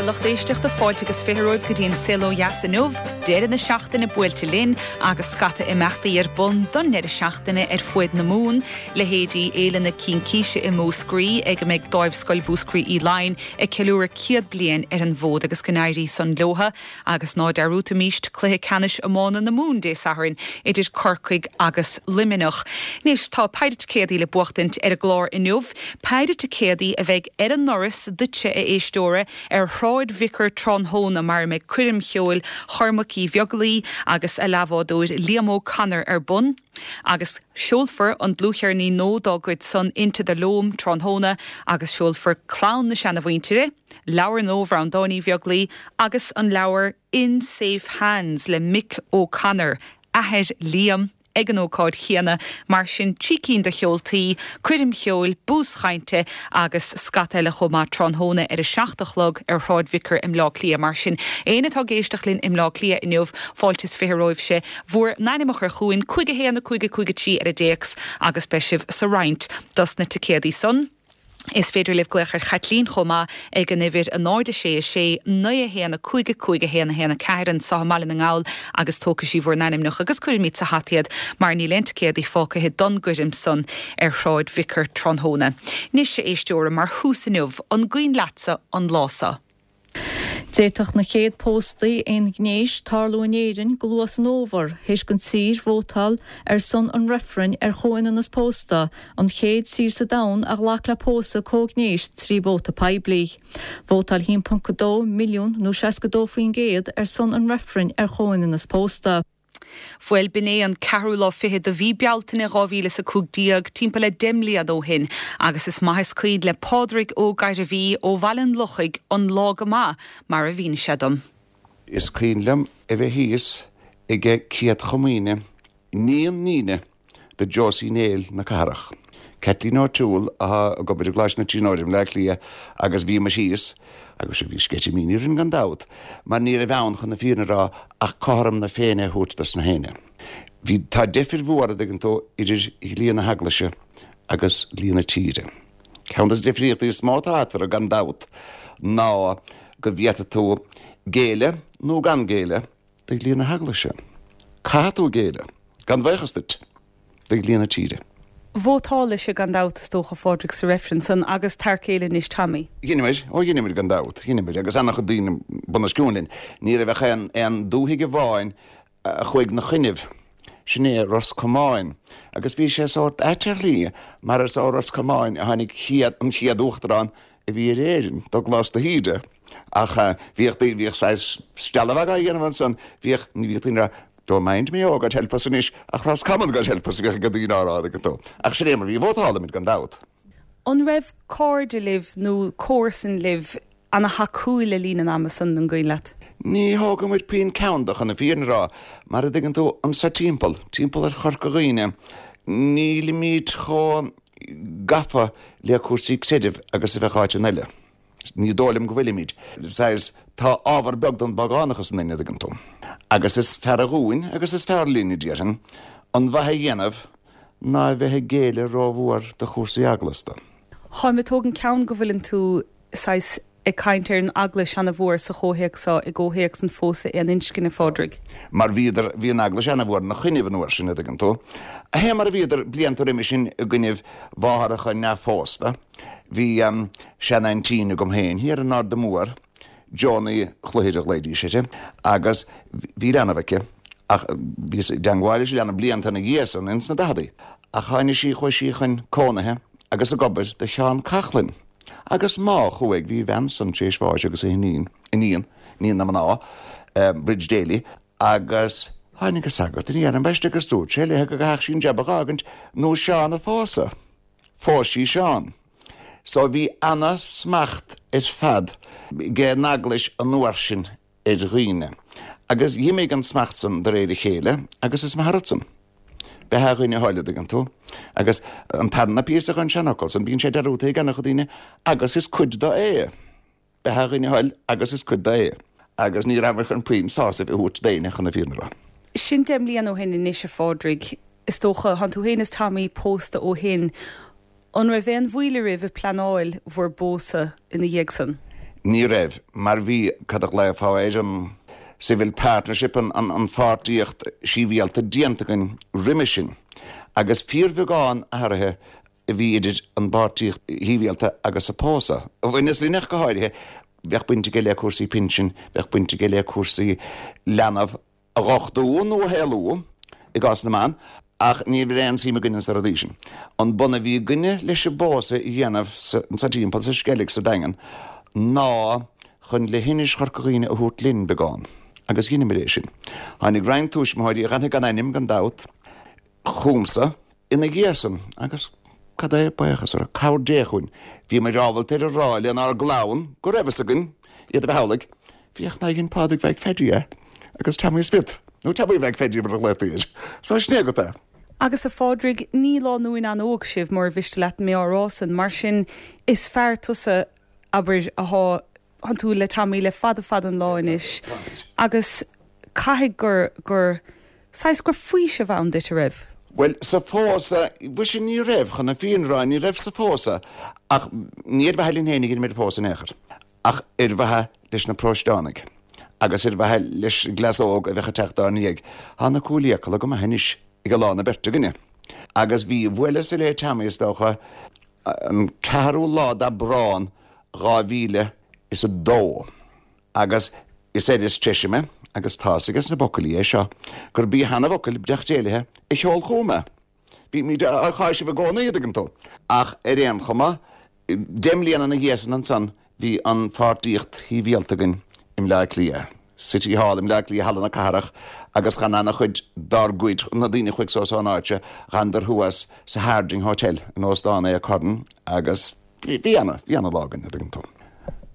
lucht éisteachta, fáilte agus 20 romhaibh go dtí an Saol Ó Dheas inniu. Deireadh na seachtaine buailte linn agus scata imeachtaí ar bun don ndeireadh seachtaine ar fuaid na Mumhan, leithéidí Fhéile na Cincíse i Múscraí ag a mbeidh Dáimhscoil Mhúscraí Uí Laighin ag ceiliúradh 100 bliain ar an bhfód agus go n-éirí san leotha. Agus ná dearúdfaimíst cluiche ceannais iomána na Mumhan Dé Sathairn idir Corcaigh agus Luimneach. Anois tá péire ticéadaí le buachtaint ar an gclár inniu, péire ticéadaí a bheidh ar an ndoras duitse a éisteora ar Shráid Vicar tráthnóna mar a mbeidh coirm cheoil Chormaic Uí Bheaglaoi agus a leathbhádóir Liam O'Connor ar bun agus seolfar an dlúthcheirnín nua dá gcuid san Into the Loam tráthnóna agus seolfar Clann na Seanamhuintire. leabhar nua Bhreandáin Uí Bheaglaoi agus an leabhar In Safe Hands le Mick O'Connor, athair Liam, ag an ócáid chéanna. Mar sin, trí cinn de sheoltaí, coirm cheoil, bús chainte agus scata eile chomh maith tráthnóna ar a 7 a chlog ar Shráid Vicar i mBleá Cliath. Mar sin, éinne atá ag éisteacht linn i mBleá Cliath inniu, fáilte is 20 romhaibhse bhur n-ainm a chur chugainn, 5 1 5 5 3 ar an dtéacs agus beidh sibh sa roinnt dos na ticéadaí san. Is féidir libh glaoch ar Chaitlín chomh maith ag an uimhir 0 6 6 9 1 5 5 1 1 4 anseo i mBaile na nGall agus tógfaidh sí bhur n-ainmneacha agus cuirfimid sa hata iad mar níl aon ticéadaí fágtha don gcoirm san ar Shráid Vicar tráthnóna. Anois, a éisteora, mar thús inniu, an gcuimhin leatsa an lá seo? D'fhéadfadh na chéad póstaí aonghnéis tarlú in Éirinn go luath san fhómhar, théis don tír vótáil ar son an reifrinn ar chomhionannas pósta, an chéad tír sa domhan a ghlac le pósadh comhghnéis trí vóta poiblí. Vótáil 1.2 milliún nó 62% ar son an reifrinn ar chomhionannas pósta. Bhuel, b'in é an ceathrú lá fichead de mhí Bealtaine 2015, timpeall le 10 mbliana ó shin, agus is maith is cuimhin le Pádraig Ó Gairbhí ó Bhaile an Lochaigh an lá go maith, mar a mhínigh sé dom. Is cuimhin liom a bheith thíos ag Céad Chomaoine níon níne do Josie Néill na Cathrach, Kathleen O'Toole atá ag obair i gColáiste na Tríonóide i mBleá Cliath agus bhíomar thíos agus bhí sceitimíní orainn gan dabht mar ní raibh ann chun na fírinne a rá ach cothrom na Féinne a thabhairt dos na héinne. Bhí, tá deifir mhór a dtuigeann tú idir dhlí na hEaglaise agus dlí na tíre. Ceann des na difríochtaí is mó atá eatarthu gan dabht ná go bhféadfaidh tú géilleadh nó gan géilleadh do dhlí na hEaglaise. Caithfidh tú géilleadh, gan bhaochas duit, do dhlí na tíre. Vótálaibhse gan dabht, is dócha, a Phádraig, sa reifreann san agus t'fhear céile anois, Tommy. Dheineamair, ó dheineamair gan dabht, dheineamair, agus ana-chuid daoine bunoscionn linn. Ní raibh ach aon, aon dúthaigh amháin a chuaigh 'na choinnibh, sin é Ros Comáin, agus bhí sé sórt ait ar shlí, mar is ó Ros Comáin a tháinig chéad, an chéad uachtarán a bhí ar Éirinn, Dubhghlas de hÍde. Ach bhíodh daoine, bhíodh saghas stealladh á dhéanamh ansan, bhíodh, ní bhíodh daoine ag rá, Don't mind me, oh, God help us anois, ach Roscommon, God help us, a bhíodh ag daoine á rá, dtuigeann tú. Ach sin é mar bhí, vótálaimid gan dabht. An raibh cairde libh nó comharsain libh ana-thacúil le linn an ama san, an gcuimhin leat? Ní thógaimid puinn ceann de, chun na fírinne a rá, mar a dtuigeann tú, anso timpeall, timpeall ar Chorca Dhuibhne, nílimid chomh gafa le cúrsaí creidimh agus a bheadh áiteanna eile. Ní dóigh liom go bhfuilimid. Saghas, tá ábhar beag den bpágánachas ionainn, a dtuigeann tú. Agus is fearr dhúinn agus is fearr linn, a déarfainn, an mhaith a dhéanamh ná a bheith ag géilleadh rómhór do chúrsaí eaglasta. Táim ag tógaint ceann go bhfuileann tú, saghas, ag caint ar an Eaglais ana-mhór sa chomhthéacs seo, i gcomhthéacs an phósadh aon inscne, a Phádraig. Mar bhíodar, bhí an Eaglais ana-mhór ina choinnibh an uair sin, a dtuigeann tú. Fé mar a bhíodar blianta roimhe sin i gcoinnibh mháthaireacha neamhphósta. Bhí seanaintín agam féin thiar in Arda Mór, Joanie Chluichir a ghlaoidís uirthi, agus bhí leanbh aici, ach bhíos i dteangmháil leis an leanbh blianta ina dhiaidh san, ins na daicheadaí. Ach tháinig sí, chuaigh sí chun cónaithe agus ag obair do Sheán Coughlan. Agus má chuaigh, bhí a bhean san tar éis bháis agus a hiníon, iníon, iníon na mná, Bridge Daly, agus tháinig an sagart aniar ambaiste agus dúirt sé léithe go gcaithfeadh sí an jab a dh'fhágaint nó Seán a phósadh. Phós sí Seán. So bhí ana smacht ar fad ag an eaglais an uair sin ar dhaoine. Agus dh'imigh an smacht san de réir a chéile agus is maith an rud san. Beatha a dhuine a thoil, a dtuigeann tú. Agus an tarna píosa den seanfhocal san, bíonn sé dearúdta ag ana-chuid daoine agus is cuid do é. Beatha a dhuine a thoil agus is cuid do é. Agus ní rabhamar chun puinn sásaimh a thabhairt d'éinne chun na fírinne a rá. Sin 10 mbliana ó shin anois, a Phádraig. Is dócha, thánn tú féin is Tommy pósta ó shin. An raibh aon mhoill oraibh ag pleanáil bhur bpósadh ina dhiaidh san? Ní raibh, mar bhí, cad a ghlaofá air, an civil partnership, an pháirtíocht shibhialta déanta againn roimhe sin, agus fíorbheagán athraithe a bhí idir an bpáirtíocht shibhialta agus an pósadh. A bhaineas linn ach go háirithe, bheadh baint aige le cúrsaí pinsin, bheadh baint aige le cúrsaí leanbh a dh'uchtú nó a shaolú i gcás na mban, ach ní raibh aon suim againne sna rudaí sin. An bun a bhí againne leis an bpósadh a dhéanamh sa timpeall, sa Sceilg, sa Daingean, ná chun leithinis Chorca Dhuibhne a thabhairt linn beagán. Agus dheineamar é sin. Tháinig roinnt tuismitheoirí, a dh'fhanfaidh gan ainm, gan dabht, chugamsa ina dhiaidh san, agus cad é, buíochas orthu, cabhair Dé chugainn, bhíomair ábalta ar a rá lenár gclann go raibh fhios againn iad a bheith amhlaidh, féach nár dhein Pádraig Mhaidhc Pheaidí é, agus Tommy Smith, nó Tommy Mhaidhc Pheaidí mar a ghlaotaí air. So sin é agat é. Agus a Phádraig, ní lánúin an-óg sibh, mura mhiste leat mé á rá san, mar sin is fear tusa, abair, athá Tánn tú le Tommy le fada fada an lá anois agus caithfidh gur, gur, saghas, go raibh faoiseamh ann duit, a raibh? Bhuel, sa phósadh, mhuise ní raibh, chun na fírinne a rá, ní raibh sa phósadh ach ní ar mhaithe linn féin a dheineamair an pósadh in aon chor ach ar mhaithe leis na paróisteánaigh agus ar mhaithe leis an gcleas óg a bheadh ag teacht dár ndiaidh. Tá na cúil fhiacail go maith anois ag a lán na beirte againne. Agus bhí, bhuaileas-sa le Tommy is dócha, an ceathrú lá d'Aibreán 2002 agus is air is treise mé, agus tá's aige sna buachaillí é seo, gurb í Hannah Bhucaill, Breac Déilithe, a sheol chugam é. Bímid á cháiseamh i gcónaí, a dtuigeann tú. Ach ar aon chuma, deich mbliana ina dhiaidh san ansan, bhí an pháirtíocht shibhialta againn i mBleá Cliath, City Hall i mBleá Cliath, Halla na Cathrach, agus chan ana-chuid dár gcuid, na daoine a chuaigh suas ón áit seo, dh'fhanadar thuas sa Harding Hotel, in Óstán Aodh Curran, agus bhí, bhí ana, bhí ana-lá againn, a dtuigeann tú.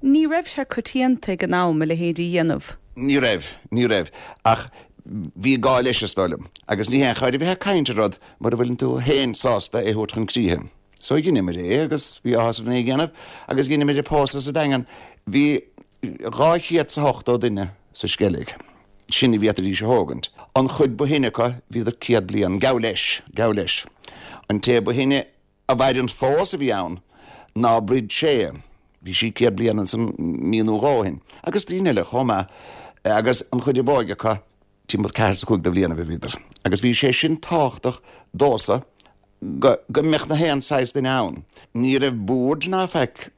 Ní raibh sé coitianta ag an am a leithéid a dhéanamh. Ní raibh, ní raibh, ach bhí gá leis, is dóigh liom. Agus ní haon chóir a bheith ag caint ar rud mura bhfuileann tú féin sásta é a thabhairt chun críche. So dheineamair é agus bhí áthas orainn é a dhéanamh agus dheineamair an pósadh sa Daingean. Bhí 280 duine sa Sceilg. Sin a bhféadfaidís a thógaint. An chuid ba shine acu, bhíodar 100 bliain, gabh leis, gabh leis. An té ba shine a mhaireann fós a bhí ann ná Brid Shea. Bhí sí 100 bliain ansan mí nó dhó ó shin. Agus daoine eile chomh maith. Agus an chuid ab óige acu, timpeall ceathair is cúig de bhlianaibh a bhíodar. Agus bhí sé sin tábhachtach domhsa go go mbeadh na haon saghas duine ann. Ní raibh boird ná faic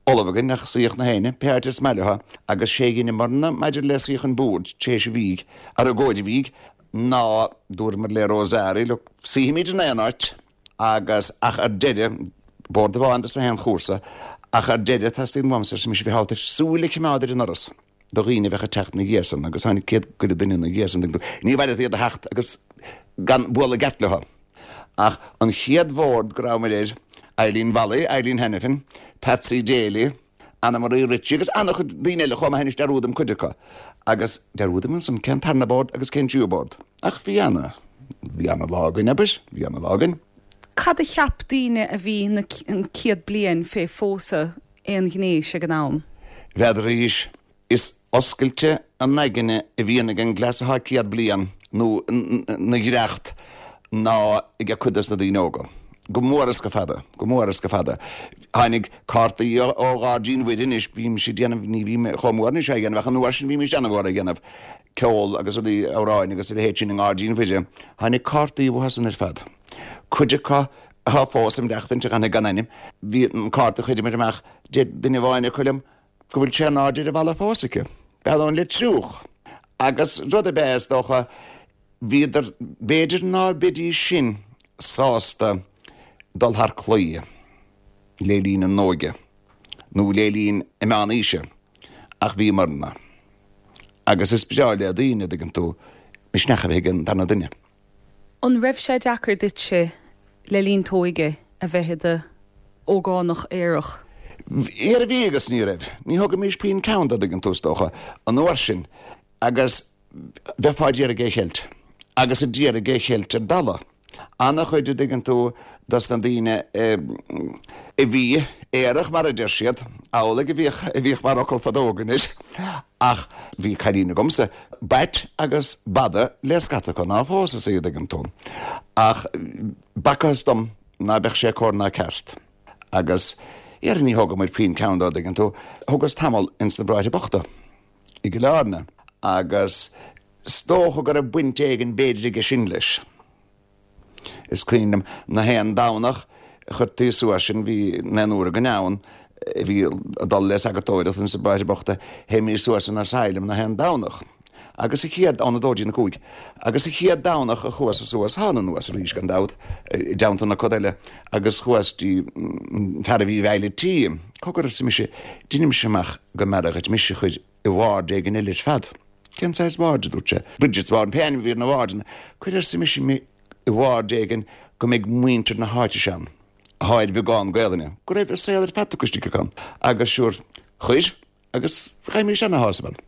ullamh againn ach suíodh na héinne, pé áit is maith leo, agus sé dheineamarna maidir le suíochán boird tar éis an bhídh, ar i gcomhair an bhídh, ná dúramar le Rosari, look, suífimid in aon áit agus, ach ar deireadh, bord amháin dos na haon chúrsa, ach ar deireadh, teastaíonn uaimse, arsa mise, bheith ábalta súil a choimeád ar an ndoras. do dhaoine a bheadh ag teacht ina dhiaidh san agus tháinig céad go leith duine ina dhiaidh san. Ní mhaith leat iad a theacht agus gan bualadh i gceart leo. Ach an chéad bhord go rabhamar air, Eileen Mholly, Eileen Hanafin, Patsy Daly, Anna Marie Ritchie agus an-chuid daoine eile chomh maith anois dearúdaim cuid acu. Agus dearúdaim ansan cén tarna bord agus cén tríú bord. Ach bhí ana, bhí ana-lá againn, abair, bhí ana-lá againn. Cad a cheap daoine a bhí na céad bliain fé phósadh aonghnéis ag an am. N'fheadraís, is oscailte an aigne a bhíonn ag an gcleas atá 100 bliain nó 'na dhreacht ná ag cuid dos na daoine óga. Go mór is go fada, go mór is go fada. Tháinig cártaí ó Ghairdín Mhuire anois, bímse ag déanamh, ní bhím chomh mór anois á dhéanamh ach an uair sin bhímís ana-mhór á dhéanamh, ceol agus rudaí, amhráin agus a leithéid sin i nGairdín Mhuire. Tháinig cártaí uathu san ar fad. Cuid acu atá fós ag maireachtaint, a dh'fhanfaidh gan ainm. Bhí an cárta a chuireamair amach, deir duine amháin acu liom go bhfuil sé in airde ar an bhalla fós aici. Bean le triúch. Agus rud ab ea, is dócha, bhíodar, b'fhéidir ná beidís sin sásta dul thar claí le linn a n-óige nó le linn a meán aoise, ach bhíomarna. Agus is breá le daoine, a dtuigeann tú, misneach a bheith ag an darna duine. An raibh sé deacair duitse le linn t'óige a bheith i do ógánach aerach? Ara bhí agus ní raibh. Ní thugaimís puinn ceann dó, dtuigeann tú, is dócha, an uair sin. Agus bheifeá d'iarraidh é a cheilt. Agus a d'iarraidh é a cheilt ar dalladh. Ana-chuid, a dtuigeann tú, dos na daoine a bhí aerach, mar a deir siad, amhlaidh a bhíodh, a bhíodh mar fhocal fadó againn air. Ach bhí cailín agamsa, b'ait agus b'fhada le scata acu ná phós is í, a dtuigeann tú. Ach b'fhacthas dom ná beadh sé cóir ná ceart. Agus. Dhera ní thógamair puinn ceann dó, dtuigeann tú. Thugas tamall ins na Bráithre Bochta i gCill Airne agus is dócha go raibh baint éigin b'fhéidir aige sin leis. Is cuimhin liom na haon Domhnach a chuirtí suas sinn, bhí naonúr againn ann a bhí ag dul le sagartóireacht ins na Bráithre Bochta, théimís suas an asylum na haon Domhnach. Agus an chéad, ón 2 dtí an 5, agus an chéad Domhnach a chuas suas, thána anuas arís gan dabht, i dteannta na coda eile, agus chuas dtí an fear a bhí i bhfeighil an tí. Cogar, arsa mise, deinimse amach go mb'fhearra dhuit mise a chur i ward éigin eile ar fad. Cén saghas ward, a dúirt sé. Bridget's Ward, pé ainm a bhí ar na wardanna. Cuir, arsa mise, mé i ward éigin go mbeidh muintir na háite seo ann, atá ar bheagán Gaelainne, go raibh a saol ar fad tugtha istigh acu ann. Agus sure, chuir. Agus gheibhimís ana-shásamh ann.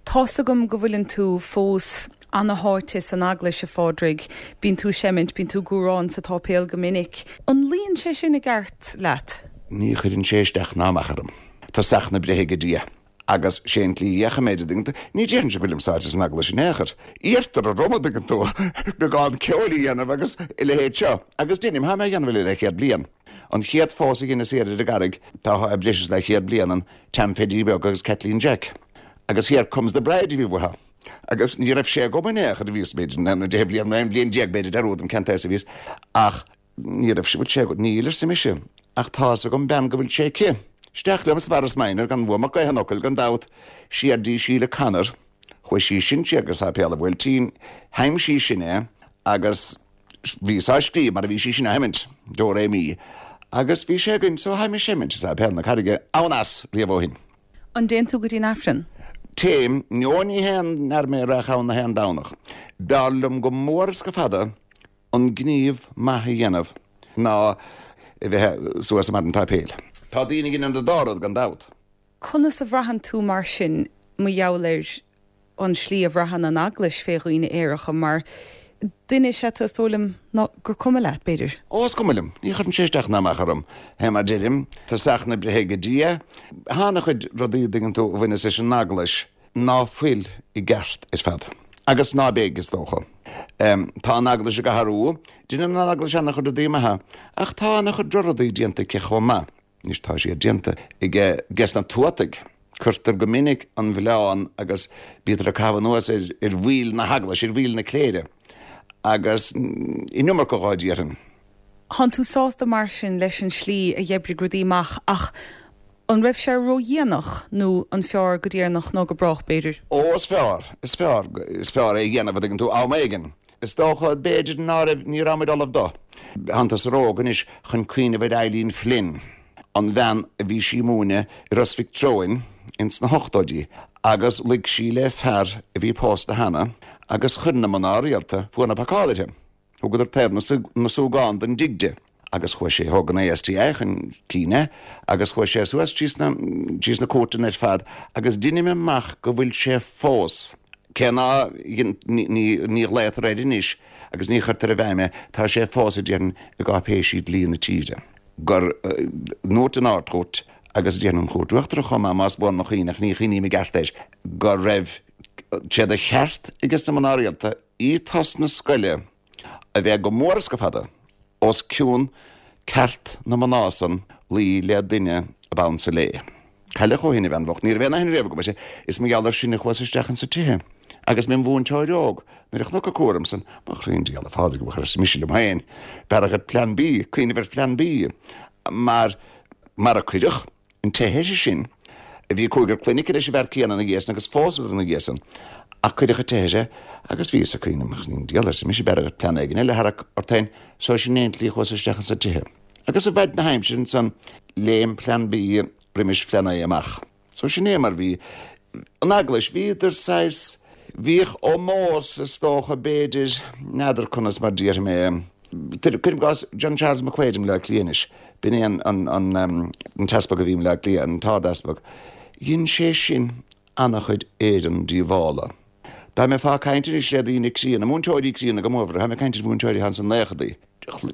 Tá's agam go bhfuileann tú fós ana-sháite san Eaglais, a Phádraig. Bíonn tú ag seimint, bíonn tú ag cumhrán sa tsáipéal go minic. An luíonn sé sin i gceart leat? Ní chuireann sé isteach ná amach orm. Tosach na breithe aige Dia. Agus sé an tslí a dheachaigh mé, an dtuigeann tú. Ní déarfainnse go bhfuilim sáite san Eaglais in aon chor. Iarrtar orm, an dtuigeann tú, beagán ceoil a dhéanamh agus a leithéid seo. Agus deinim, tá mé á dhéanamh le leathchéad bliain. An chéad phósadh a dheineas thiar ar an gCarraig, tá breis is leathchéad bliain ann, Tam Pheaidí Beag agus Kathleen Jack. Agus Here Comes the Bride a bhí uathu. Agus ní raibh sé agam in aon chor, bhíos b'fhéidir na 10 bliain nó 11 bliain b'fhéidir, dearúdaim cén t-aos a bhíos, ach ní raibh sé, bhfuil sé agat, níl, arsa mise, ach tá's agam bean go bhfuil sé aici. Isteach liom sa Mhorris Minor, gan uaim ach gaoth an fhocail, gan dabht, siar dtí Síle Connor, chuaigh sí sin siar go Sáipéal an Bhuailtín, sheinn sí sin é agus, Bhíos á scríobh mar a bhí sí sin á sheimint, Do Ré Mi, agus bhí sé againn so tháim ag seimint i Sáipéal na Carraige ann as riamh ó shin. An dtéann tú go dtí an Aifreann? Téim, nó ní haon fhear mé a raghadh ann na haon Domhnach. B'fhearr liom go mór is go fada an gníomh maith a dhéanamh ná a bheith suas i mbarr an tsáipéil. Tá daoine a dheineann an dá rud gan dabht. Conas a bhraitheann tú mar sin mar gheall ar an slí a bhraitheann an Eaglais fé dhaoine aeracha, mar duine is ea tú, is dóigh liom, ná gur cuma leat, b'fhéidir? Ó, is cuma liom. Ní chuireann sé isteach ná amach orm. Fé mar deirim, tosach na breithe aige Dia. Tá ana-chuid rudaí, a dtuigeann tú, a bhaineas leis an Eaglais ná fuil i gceart ar fad. Agus ná beidh, is dócha. Tá an Eaglais ag athrú. Deineann an Eaglais ana-chuid rudaí maithe. Ach tá ana-chuid drochrudaí déanta aici chomh maith. Anois tá siad déanta ag ges na tuataigh. Cuirtear go minic an mhilleán agus bítear ag caitheamh anuas ar bhaill na hEaglaise, ar bhaill na cléire agus an iomarca dhó déarfainn. Thánn tú sásta mar sin leis an slí a d'oibrigh rudaí amach ach an raibh sé ródhéanach nó an fearr go deireanach ná go brách b'fhéidir? Ó is fearr, is fearr, is fearr é a dhéanamh a dtuigeann tú, am éigin. Is dócha, b'fhéidir, ná raibh, ní raibh muid ullamh dó. Thánn tusa ró-óg anois chun cuimhneamh ar Eileen Flynn, an bhean a bhí sí ag múineadh i Ros Mhic Treoin ins na hochtóidí agus luigh sí le fear a bhí pósta cheana agus chuir na mná rialta fuath na pacála uirthi. Thugadar taobh na súgán den dtigh di. Agus chuaigh sé, thóg an ASTI chun cinn é agus chuaigh sé suas trí sna, trí sna cúirteanna ar fad agus deinim amach go bhfuil sé fós, cé ná, ní, ní ghlaotar air anois agus ní chuirtear i bhfeidhm é, tá sé fós, a déarfainn, i gcáipéisí dlí na tíre, gur ndúirt an Ard-Chúirt agus a déarfainn an Chúirt Uachtarach chomh maith, más buan mo chuimhne, ach ní chuimhním i gceart air, go raibh sé de cheart ages na mná rialta ethos na scoile a bheith go mór is go fada os cionn ceart na mná san luí le duine ab ansa léi. Cailleadh ó shin a bhean bhocht. Ní raibh aon aithne riamh agam uirthi. Is mar gheall air sin a chuas isteach insa tithe. Agus mé im mhúinteoir óg, nuair a chonac an cúram san, mo chroí 'on diabhal, a Phádraig, mo chroí, arsa mise liom féin, b'fhearra dhuit Plean B, cuimhneamh ar Phlean B, mar, mar a cuireadh. An teitheadh uirthi sin, bhí cúigear clainne aici leis an bhfear céanna ina dhiaidh san agus phósadar ina dhiaidh san, ach cuireadh an teitheadh uirthi agus bhíos ag cuimhneamh, mo chroí 'on diabhal, arsa mise, b'fhearra dhuit plean éigin eile a tharrac ort féin, so sin é an tslí a chuas isteach insa tithe. Agus i bhfaid na haimsire ansan, léim Plean B roimis Phlean A amach. So sin é mar bhí. An Eaglais, bhíodar saghas, bhíodh ómós is dócha b'fhéidir, n'fheadar conas mar déarfaidh mé é. Cuirim i gcás John Charles McQuaid i mBleá Cliath anois, b'in é an, an, an t-easpag a bhí i mBleá Cliath, an t-ard-easpag. Dhein sé sin ana-chuid Éireann díobhála. Dá mbeifeá ag caint anois le daoine críonna, múinteoirí críonna go mórmhór, táim ag caint ar mhúinteoirí atá ins na naochadaí,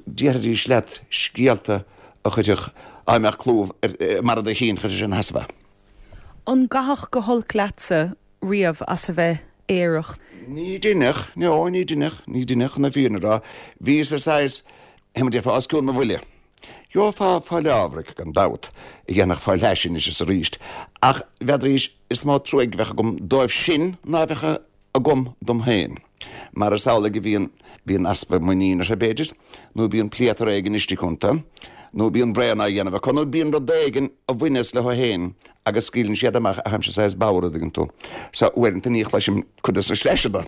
déarfaidís leat scéalta a chuirfeadh, dá mbeadh clúmh ar mbarra do chinn, chuirfeadh sé ina sheasamh é. An gcaitheadh go holc leatsa riamh as a bheith aerach? Ní deineadh, no, ní deineadh, ní deineadh, chun na fírinne a rá. Bhíos-sa saghas, mar a déarfá, os cionn mo bhuille. Gheofá fáil ábhraic, gan dabht, a dhéanfadh fáil leis anois is arís, ach n'fheadraís is mó truaigh a bheadh agam dóibh sin ná a bheadh agam dom féin. Mar is amhlaidh a bhíonn, bíonn easpa muiníne orthu, b'fhéidir, nó bíonn pléatar éigin istigh iontu, nó bíonn braon á dhéanamh acu, nó bíonn rud éigin a bhaineas leo féin agus scaoileann siad amach, ach táimse saghas bodhar, an dtuigeann tú. So, uaireanta ní chloisim cuid de na sleaiseanna.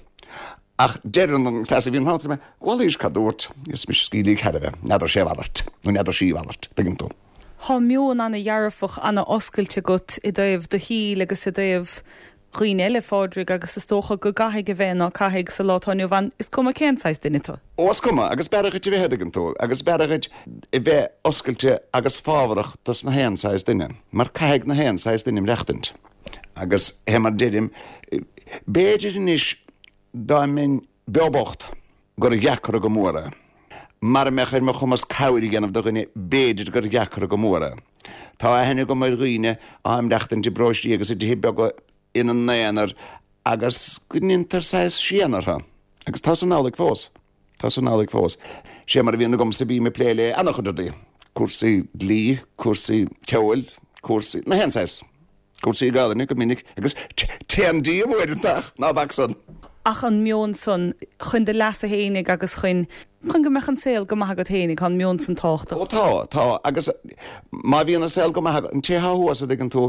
Ach deireann an cleas a bhíonn thart mé, Bhal cad dúirt, is mise scaoilígh thar a bheith, n'fheadar sé a mhalairt, nó n'fheadar sí a mhalairt, tuigeann tú. Tá meon ana-dhearfach, ana-oscailte agat i dtaobh do shaoil agus i dtaobh dhaoine eile, a Phádraig, agus is dócha go gcaithfidh a bheith, ná caithfidh, sa lá atá inniu ann, is cuma cén saghas duine tú. Ó, is cuma, agus b'fhearra dhuit a bheith, a dtuigeann tú, agus b'fhearra dhuit a bheith oscailte agus fábharach dos na haon saghas duine, mar caithfidh na haon saghas duine maireachtaint. Agus fé mar deirim, b'fhéidir anois dá mbeinn beo bocht gur dheacra go mór é. Mara mbeadh ar mo chumas cabhair a dhéanamh do dhuine b'fhéidir gur dheacra go mór é. Tá aithne agam ar dhaoine atá ag maireachtaint i bparóistí agus i dtithe beaga ina n-aonar agus go ndeintear saghas séan orthu. Agus tá san amhlaidh fós. Tá san amhlaidh fós. Sé mar a bhíonn agamsa, bím ag plé le an-chuid rudaí, cúrsaí dlí, cúrsaí ceoil, cúrsaí, na haon saghas, cúrsaí Gaelainne go minic agus téann díom uaireanta ach ná bac san. Ach an meon san, chun do leasa fhéinig agus chun, chun go mbeadh an saol go maith agat fhéinig, tá an meon san tábhachtach. Ó tá, tá, agus má bhíonn an saol go maith agat, an té thá thuas, a dtuigeann tú,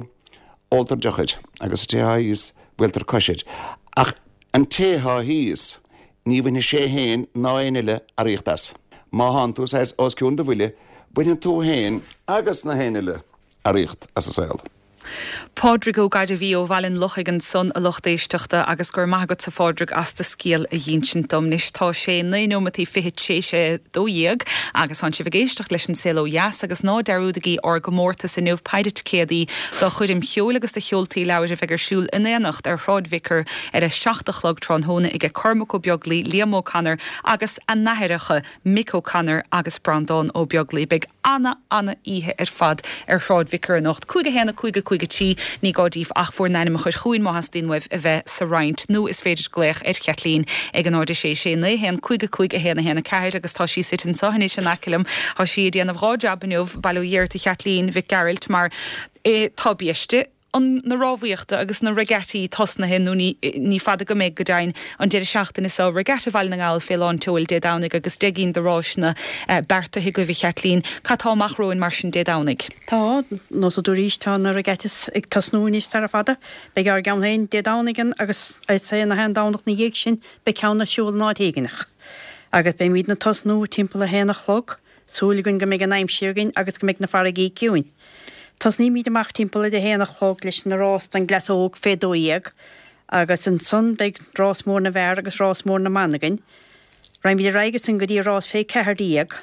óltar deoch air agus an té thá thíos, buailtear cois air. Ach an té thá thíos, Ní bhainfidh sé féin ná aon eile earraíocht as. Má thánn tú saghas os cionn do bhuille, bainfidh tú féin agus na haon eile earraíocht as an saol. Pádraig Ó Gairbhí ó Bhaile an Lochaigh ansan, a lucht éisteachta, agus go raibh maith agatsa Phádraig as do scéal a dh'ínsint dom. Anois tá sé 9 nóimeataí fichead tréis a 12 agus tánn sibh ag éisteacht leis An Saol Ó Dheas agus ná dearúdaigí ár gcomórtas inniu, péire ticéadaí do choirm cheoil agus do sheoltaí leabhair a bheidh ar siúl in Aonacht ar Shráid Vicar ar a 7 a chlog tráthnóna aige Cormac Ó Beaglaoi, Liam O'Connor agus a n-aithreacha Mick O'Connor agus Breandán Ó Beaglaoi. Beidh ana, ana oíche ar fad ar Shráid Vicar anocht. 5 1 5 5 3 Ní gá daoibh ach bhur n-ainm a chur chugainn má theastaíonn uaibh a bheith sa roinnt nó is féidir glaoch ar Chaitlín ag 0 6 6 9 1 5 5 1 1 4 agus tá sí suite anseo anois in aice liom. Tá sí ag déanamh dhá jab inniu, bail ó Dhia ort a Chaitlín Mhic Gearailt mar tá biaiste. an na rámhaíochta agus na regattaí tosnaithe, nó ní ní fada go mbeidh, go deimhin, an deireadh seachtaine seo, Regatta Bhaile na nGall fé lán tseoil Dé Domhnaigh agus deich gcinn de ráiseanna beartaithe agaibh, a Chaitlín. Cad tá amach romhainn mar sin Dé Domhnaigh? Tá, nós a dúraís, tá na regattas ag tosnú anois sara fada. Beidh ár gceann féin Dé Domhnaigh ann agus is é na haon Domhnach 'na dhiaidh sin beidh ceann ar siúl in áit éigineach. Agus beimídne ag tosnú timpeall a haon a chlog. Súil againn go mbeidh an aimsir againn agus go mbeidh na farraigí ciúin. Tosnaímíd amach timpeall ar a haon a chlog leis na rás don gcleas óg fé 12 agus ansan beidh rás mór na bhfear agus rás mór na mban againn. Raghaimíd ar aghaidh ansan go dtí rás fé 14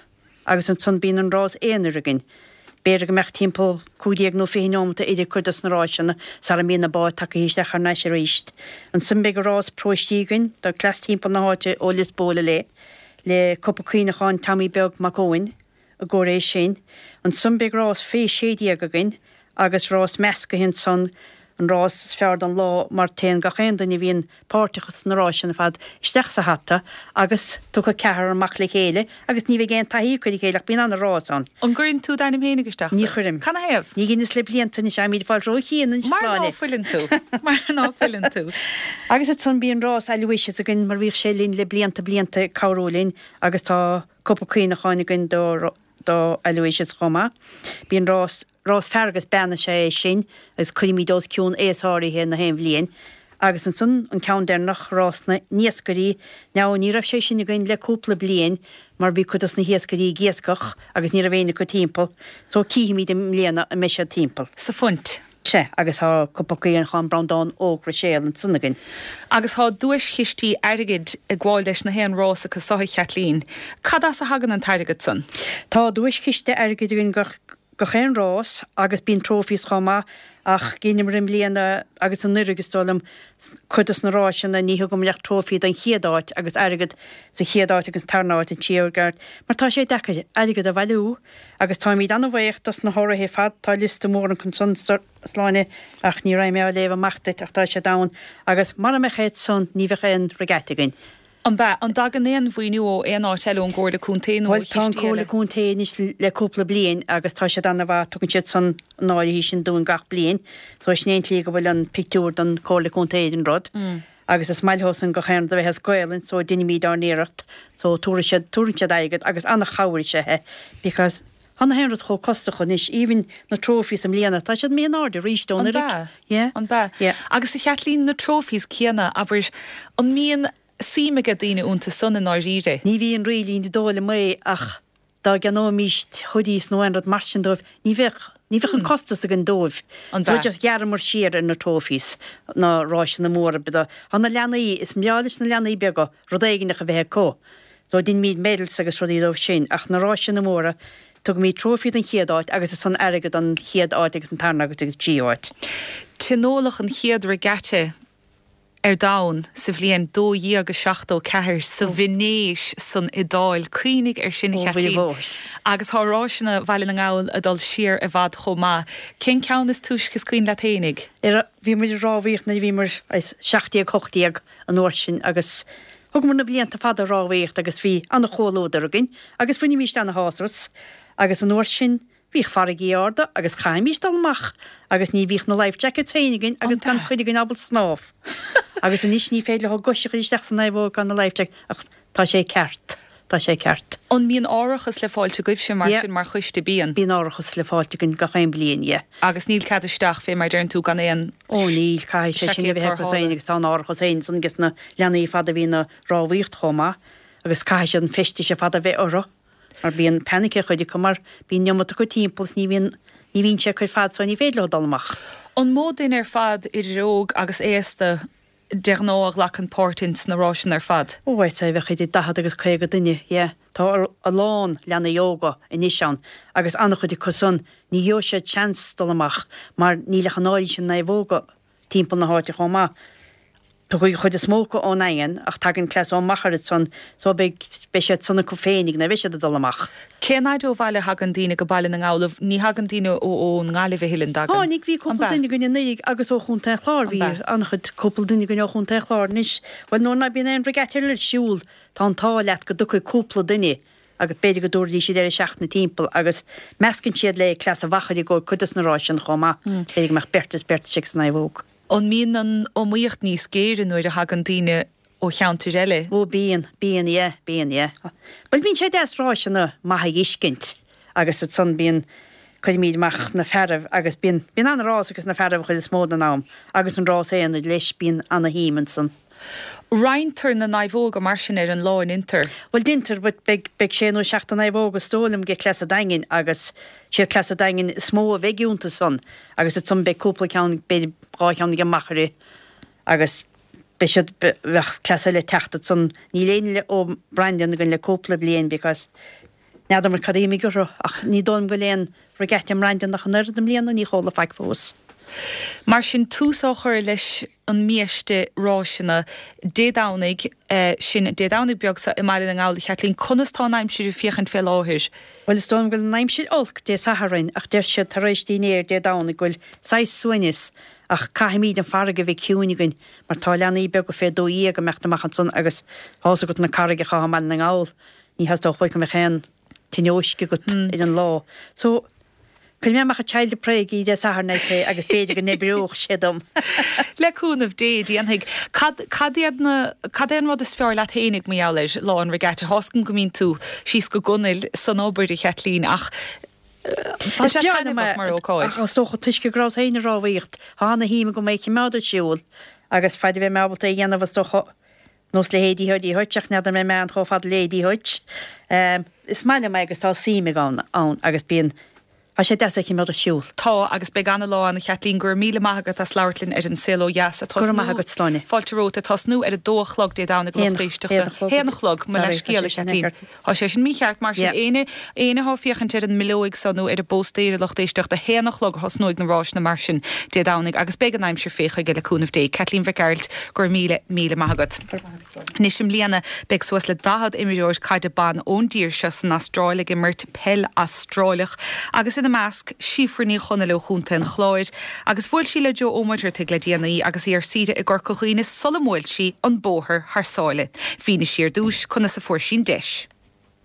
agus ansan bíonn an rás aonair againn. B'fhéidir go mbeadh timpeall 15 nó 20 neomata idir cuid dos na ráiseanna sara mbíonn na báid tagtha isteach thar n-ais aríst. Ansan beidh rás paróistí againn do cleas timpeall na háite ó Lios Póil i leith. le Cupa Cuimhneacháin Tommy Beag Mac Eoin i gcomhair é sin. Ansan beidh rás fé 16 againn agus rás meascaithe ansan, an rás is fearr don lá mar téann gach aon duine a bhíonn páirteach sna ráiseanna ar fad isteach sa hata agus tiocfaidh ceathrar amach le chéile agus ní bheidh aon taithí acu ar a chéile ach bíonn ana-rás ann. An gcuireann tú d'ainm fhéinig isteach sa. Ní chuirim. Cad 'na thaobh? Ní dheineas le blianta anois, táimíd ag fáil ró-chian anois Mar ná fuileann tú. Mar ná fuileann tú. Agus ansan bíonn rás Aloysius againn mar bhíodh sé linn le blianta blianta ag cabhrú linn agus tá cupa cuimhneacháin againn do do Aloysius chomh maith. Bíonn rás rás fear agus bean is ea é sin agus cuirimíd os cionn aos áirithe na haon bhliain. Agus ansan an ceann deireanach, rás na n-iascairí. Now ní raibh sé sin againn le cúpla bliain mar bhí cuid dos na hiascairí ag iascach agus ní raibh éinne acu timpeall. So cífimíd i mbliana an mbeidh siad timpeall. Sa phunt. Sea, agus tá Cupa Cuimhneacháin Breandán Óg Ruiséal ansan againn. Agus tá duaischistí airgid ag gabháil leis na haon rás acu so, a Chaitlín. Cad as a thagann an t-airgead san? Tá duaischiste airgid againn gach aon rás agus bíonn trophies chomh maith ach dheineamar i mbliana agus anuraidh is dóigh liom cuid dos na ráiseanna ní thugamar ach trophy don chéad áit agus airgead sa chéad áit agus tarna áit an tríú háit mar tá sé deacair airgead a bhailiú Agus táimíd ana-bhaoch dos na hurraithe ar fad, tá liosta mór ansan a Shláine ach ní raghaidh mé á léamh amach duit ach tá siad ann agus mara mbeadh iad san ní bheadh aon regatta againn. An b'ea? An dtagann aon mhaoiniú ó aon áit eile, ón gComhairle Contae nó ó Bhuel, tá an chistí Comhairle eile? Contae anois le cúpla bliain agus tá siad ana-mhaith, tugann siad san an áirithe sin dúinn gach bliain. So sin é an tslí go bhfuil an pictiúr don Comhairle Contae ar an rud. Agus is maith leo san gach aon rud a bheith as Gaolainn so deinimíd ár n-iarracht so tabharfaidh siad, tabharann siad airgead agus ana-chabhair is ea é because Tá na haon rud chomh costach anois, even na trophies i mbliana, tá siad imithe in airde arís ó An anuraidh. b'ea? Yeah. An b'ea? Yeah. Agus a Chaitlín, na trophies céanna, abair, an mbíonn suim aige daoine iontu san i ndáiríre? Ní bhíonn really, ní dóigh liom é ach dá gceannóimíst hoodies nó aon rud mar sin dóibh, ní bheadh, ní bheadh an costas againn dóibh. An So b'ea? just ghearramar siar ar na trophies, na ráiseanna móra, but tá na leanaí, is breá leis na leanaí beaga rud éigineach a bheith acu. So deinimíd medals agus rudaí dóibh sin ach na ráiseanna móra, tugaimíd trophy don chéad áit agus ansan airgead don chéad áit agus an tarna agus an tríú áit. Tionóladh an chéad regatta ar domhan sa bhliain 1274 sa Veinéis san Iodáil. Cuimhnigh ar sin, a Chaitlín. Agus tá ráiseanna Bhaile na nGall ag dul siar i bhfad chomh maith. Cén ceann is túisce is cuimhin leat fhéinig? Bhí muid ag rámhaíocht nuair a bhíomar 17, 18 an uair sin agus Thugamar na blianta fada ag rámhaíocht agus bhí ana-chomhluadar againn agus bhainimíst ana-shásamh as agus an uair sin bhíodh farraigí arda agus chaithimíst dul amach agus ní bhíodh na life jackets féin againn agus gan cuid againn ábalta snámh agus anois ní féidir leo gois a chur isteach san naomhóg gan na life jacket ach tá sé ceart, tá sé ceart. An mbíonn árachas le fáilt agaibhse mar sin mar choiste? Bíonn. Bíonn árachas le fáilt againn gach aon bhliain, yeah. Agus níl cead isteach fé mar deireann tú gan aon Ó níl, caithfidh sé sin a seaicéad bheith acu tarrthála. féin agus tá an árachas féin ansan ages na leanaí fad a bhíonn ag rámhaíocht chomh maith agus caithfidh siad an feisteas ar fad a bheith orthu mar bíonn panic ar chuid acu mar bíonn an iomarca acu timpeall is ní bhíonn, ní bhíonn sé acu ar fad so ní féidir leo dul amach. An mó duine ar fad idir óg agus aosta de ghnáth a ghlacann páirt ins na ráiseanna ar fad? Ó I'd say bheadh idir 40 agus 50 duine, yeah. Tá a lán leanaí óga anois ann agus an-chuid acu san ní gheobhaidh siad seans dul amach mar níl ach an oiread sin naomhóga timpeall na háite chomh maith. Tiocfaidh an chuid is mó acu ón nDaingean ach tagann cleas ó Mhachaire ansan so beidh beidh siad san acu féinig nuair a bheidh siad ag dul amach. Cén fhaid ó bhaile a thagann daoine go Baile na nGall? Ní thagann daoine ó ón nGaillimh a thuilleadh, an dtagann? Tháinig, bhí An cúpla b'ea? duine againn anuraidh agus ó Chontae an Chláir, An bhí b'ea? an-chuid, cúpla duine againn ó Chontae an Chláir anois. Bhuel nuair ná bíonn aon regatta ar siúl, tá an t-ádh leat go dtiocfaidh cúpla duine agus b'fhéidir go dtabharfaidís siad deireadh seachtaine timpeall agus meascann siad le cleas an Mhachaire i gcomhair cuid dos na ráis sin chomh maith. B'fhéidir go mbeadh beirt is beirt istigh sa naomhóg. An mbíonn an iomaíocht níos géire nuair a thagann daoine ó cheantair eile? Ó bíonn, bíonn, yeah, bíonn, yeah. Bhuel bíonn sé deas ráiseanna maithe a fheiscint agus ansan bíonn, cuirimíd amach na fearaibh agus bíonn, bíonn ana-rás ages na fearaibh an chuid is mó den am agus an rás aonair leis, bíonn ana-shuim ansan. Roinntear na naomhóga mar sin ar an lá, an ndeintear? Bhuel deintear but beidh, beidh sé nó seacht de naomhóga is dóigh liom age cleas an Daingin agus siad cleas an Daingin is mó a bheidh iontu san agus ansan beidh cúpla ceann, b'fhéidir dhá cheann age Machaire agus beidh siad, bheadh cleas eile ag teacht ansan. Níl éinne le, ó Brandon againn le cúpla bliain because n'fheadar cad a d'imigh orthu ach ní dóigh liom go bhfuil aon regatta i mBrandon ach an oiread i mbliana, ní chuala faic fós. Mar sin, tús á chur leis an mbiaiste ráiseanna Dé Domhnaigh, sin Dé Domhnaigh beag seo i mBaile na nGall, a Chaitlín, conas tá an aimsir ag féachaint fé láthair? Bhuel, is dóigh liom go bhfuil an aimsir olc Dé Sathairn ach deir siad tar éis dinnéir Dé Domhnaigh go bhfuil saghas suaimhneas ach caithfimíd an farraige a bheith ciúin againn mar tá leanaí beaga fé 12 ag imeacht amach ansan agus tá's agat na carraigeacha atá i mBaile na nGall, ní theastódh uait go mbeadh aon tionóisc agat ar an lá. So, cuirfidh mé amach a child of pray Dé Sathairn I'd say agus b'fhéidir go n-oibreodh sé dom. Le cúnamh Dé, déanfaidh. Cad, cad iad na, cad é an rud is fearr leat fhéinig mar gheall ar lá an regatta? Tá's agam go mbíonn tú síos go gunail san obair, a Chaitlín, ach tá Is sé breá liom é, taitneamhach mar ócáid. ach is dócha toisc go rabhas féin ag rámhaíocht, tá ana-shuim agam é a choimeád ar siúl agus faid a bheidh mé ábalta é a dhéanamh is dócha Nós leithéidí Eddie Hutch ach n'fheadar an mbeidh mé ann chomh fada le Eddie Hutch. Is maith liom é agus tá suim agam ann agus bíonn, tá sé deas é a choimeád ar siúl. Tá, agus beidh ana-lá ann a Chaitlín. Go raibh míle maith agat as labhairt linn ar An Saol Ó Dheas. Go raibh maith agat, Sláine. Fáilte romhat. Ag tosnú ar a dó a chlog Dé Domhnaigh a lucht éisteachta. Haon a chlog, mo leithscéal a Chaitlín. Tá sé sin mícheart, mar sin éinne, éinne atá ag féachaint ar an mbileoig so nó ar an bpóstaer a lucht éisteachta, a haon a chlog a thosnóidh na ráiseanna mar sin Dé Domhnaigh agus beidh an aimsir fé chuige le cúnamh Dé. Caitlín Mhic Gearailt, go raibh míle, míle maith agat. Anois i mbliana beidh suas le 40 imreoir caide ban ón dtír seo san Astráil ag imirt peil Astráileach agus ina. ina measc, Síofra Ní Chonaill ó Chontae an Chláir, agus bhuail sí le Joe Ó Muircheartaigh le déanaí agus í ar saoire i gCorca Dhuibhne sula mbuail sí an bóthar thar sáile. Mhínigh sí ar dtús conas a fuair sí an deis.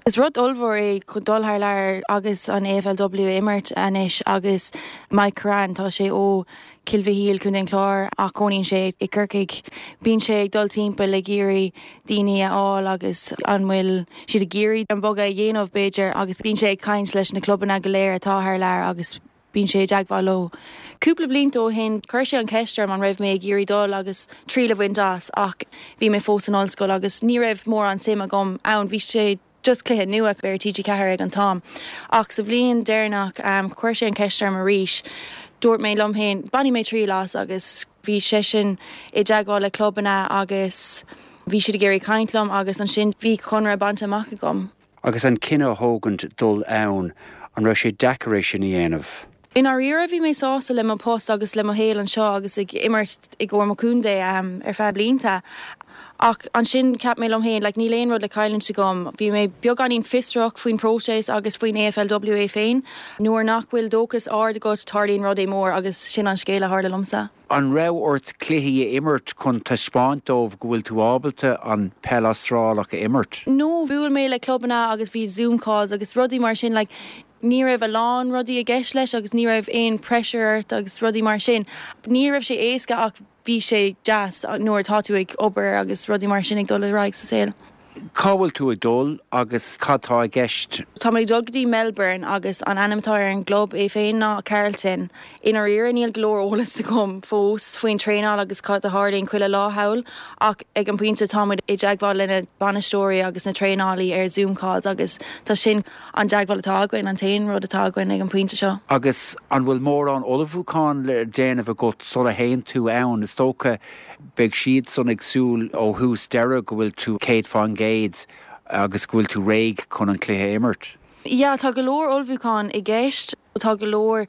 Is rud ollmhór é dul thar lear agus an AFLW a imirt anois agus Mike Currane, tá sé ó Cill Mhichíl, Contae an Chláir ach cónaíonn sé i gCorcaigh. Bíonn sé ag dul timpeall ag iarraidh daoine a fháil agus an bhfuil siad ag iarraidh an bogadh a dhéanamh b'fhéidir agus bíonn sé ag caint leis na clubanna go léir atá thar lear agus bíonn sé i dteagmháil leo. Cúpla blianta ó shin chuir sé an cheist orm an raibh mé ag iarraidh dul agus triail a bhaint as ach bhí mé fós san ollscoil agus ní raibh mórán suim agam ann. Bhí sé just cluiche nua ar TG4 ag an t-am. Ach sa bhliain deireanach chuir sé an cheist orm arís. Dúirt mé liom féin, bainfidh mé triail as agus bhí seisean i dteagmháil le clubanna agus bhí siad ag iarraidh caint liom agus ansin bhí conradh bainte amach agam. Agus an cinneadh a thógaint dul ann, an raibh sé deacair é sin a dhéanamh? I ndáiríre bhí mé sásta le mo post agus le mo shaol anseo agus ag imirt i gcomhair mo chontae ar feadh blianta. Ach ansin cheap mé liom féin like níl aon rud le cailliúint agam. Bhí mé beagáinín fiosrach faoin próiseas agus faoin AFLW é féin. Nuair nach bhfuil dóchas ard agat tarlaíonn rudaí mór agus sin an scéal a tharla liomsa. An raibh ort cluichí a imirt chun taispeáint dóibh go bhfuil tú ábalta an peil Astrálach a imirt? No, bhuail mé le clubanna agus bhí zoom calls agus rudaí mar sin like Ní raibh a lán rudaí i gceist leis agus ní raibh aon pressure ort agus rudaí mar sin. Ní raibh sé éasca ach bhí sé deas nuair atá tú ag obair agus rudaí mar sin ag dul ar aghaidh sa saol. Cá bhfuil tú ag dul agus cad tá i gceist? Tá mé ag dul go dtí Melbourne agus an ainm atá ar an gclub é féin ná Carlton. I ndáiríre níl go leor eolas agam fós faoin traenáil agus cad a tharlaíonn chuile lá thall ach ag an bpointe tá muid i dteagmháil le na bainisteoirí agus na traenálaí ar Zoom calls agus tá sin an dteagmháil atá againn, an t-aon rud atá againn ag an bpointe seo. Agus an bhfuil mórán ullmhúcháin le déanamh agat sula théann tú ann? Is dócha, beidh siadsan ag súil ó thús deireadh go bhfuil tú 100% agus go bhfuil tú réidh chun an cluiche a imirt. Yeah, tá go leor ullmhúcháin i gceist. Tá go leor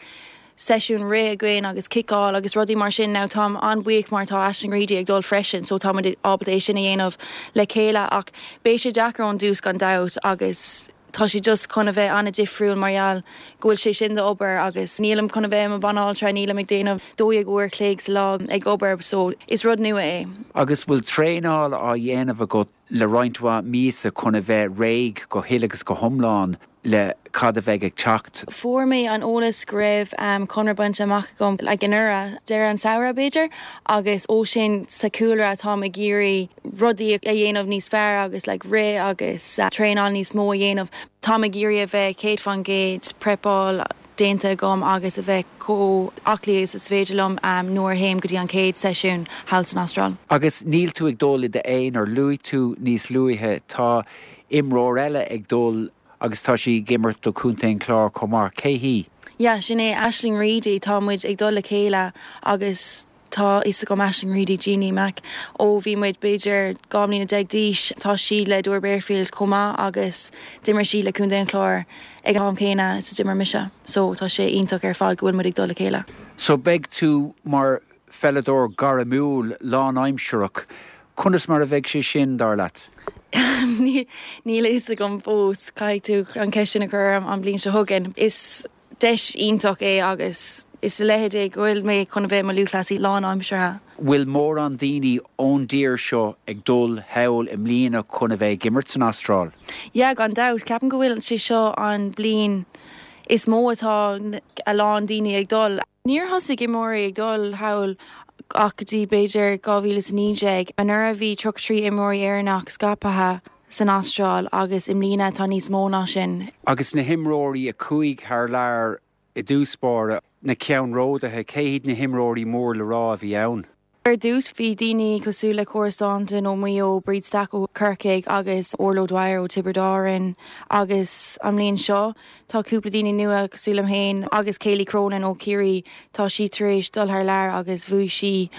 seisiún rith againn agus ciceáil agus rudaí mar sin. Now táim an-bhuíoch mar tá Aisling Reidy ag dul freisin so tá muid ábalta é sin a dhéanamh le chéile ach beidh sé deacair ón dtús gan dabht agus tá sé just chun a bheith an-difriúil mar gheall go bhfuil sé sin d'obair agus nílim chun a bheith i mo banaltra, nílim ag déanamh 12 uair a chloig sa lá ag obair so is rud nua é. Agus bhfuil traenáil á dhéanamh agat le roinnt mhaith míosa chun a bheith réidh go huile agus go hiomlán le cad a bheidh ag teacht. Fuair mé an eolas go raibh conradh bainte amach agam like anuraidh, deireadh an samhradh b'fhéidir, agus ó sin sa chúlra táim ag iarraidh rudaí a dhéanamh níos fearr agus like rith agus traenáil níos mó a dhéanamh. Táim ag iarraidh a bheith 100% prepáil déanta agam agus a bheith chomh aclaí agus is féidir liom nuair a théim go dtí an chéad seisiún thall san Astráil. Agus níl tú ag dul i d'aonar, luaigh tú níos luaithe, tá imreoir eile ag dul agus tá sí ag imirt do Chontae an Chláir chomh maith, cé hí? Yeah, sin é Aisling Reidy, tá muid ag dul le chéile agus Tá fhios agam Aisling Reidy, Jeannie Mac, ó bhí muid b'fhéidir 12 mbliana d'aois. Tá sí le Doora Barefield chomh maith agus d'imir sí le Contae an Chláir ag an am céanna is a d'imir mise. So tá sé iontach ar fad go bhfuil muid ag dul le chéile. So beidh tú mar pheileadóir gairmiúil lánaimsearach. Conas mar a bheidh sé sin, dar leat? Níl a fhios agam fós. Caithfidh tú an ceist sin a chur orm an bhliain seo chugainn. Is. Deis iontach é agus is a leithéid é go bhfuil mé chun a bheith i mo lúthchleasaí lánaimseartha. Bhfuil mórán daoine ón dtír seo ag dul thall i mbliana chun a bheith ag imirt san Astráil? Yeah, gan dabht. Ceapaim go bhfuil sé seo an bliain is mó atá a lán daoine ag dul. Níor thosaigh imreoirí ag dul thall ach go dtí b'fhéidir 2019. Anuraidh bhí 33 imreoirí Éireannach scaipthe san Astráil agus i mbliana tá níos mó ná sin. Agus na himreoirí a chuaigh thar lear i dtús báire, na ceannródaithe, cé hiad na himreoirí mór le rá a bhí ann? Ar dtús bhí daoine cosúil le Cora Staunton ó Mhaigh Eo, Bríd Stack ó Corcaigh agus Orla O'Dwyer ó Tiobraid Árann agus an mbliain seo tá cúpla daoine nua cosúil liom féin agus Kayleigh Cronin ó Chiarraí, tá sí tar éis dul thar lear agus bhuaigh sí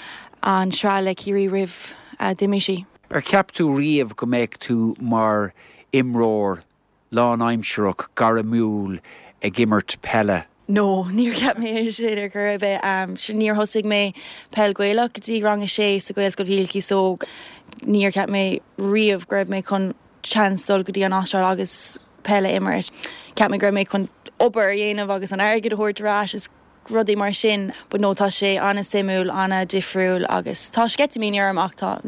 an sraith le Ciarraí roimh a d'imigh sí. Ar cheap tú riamh go mbeadh tú mar imreoir lánaimsearach gairmiúil ag imirt peile? No, níor cheap mé é sin ar chor ar bith. Níor thosaigh mé peil Gaelach go dtí rang a sé sa Ghaelscoil Mhichíl Cíosóg. Níor cheap mé riamh go raibh mé chun chance dul go dtí an Astráil agus peil a imirt. Cheap mé go raibh mé chun. obair a dhéanamh agus an airgead a thabhairt ar ais is rudaí mar sin but no tá sé an-suimiúil, an-difriúil agus tá sceitimíní orm ach tá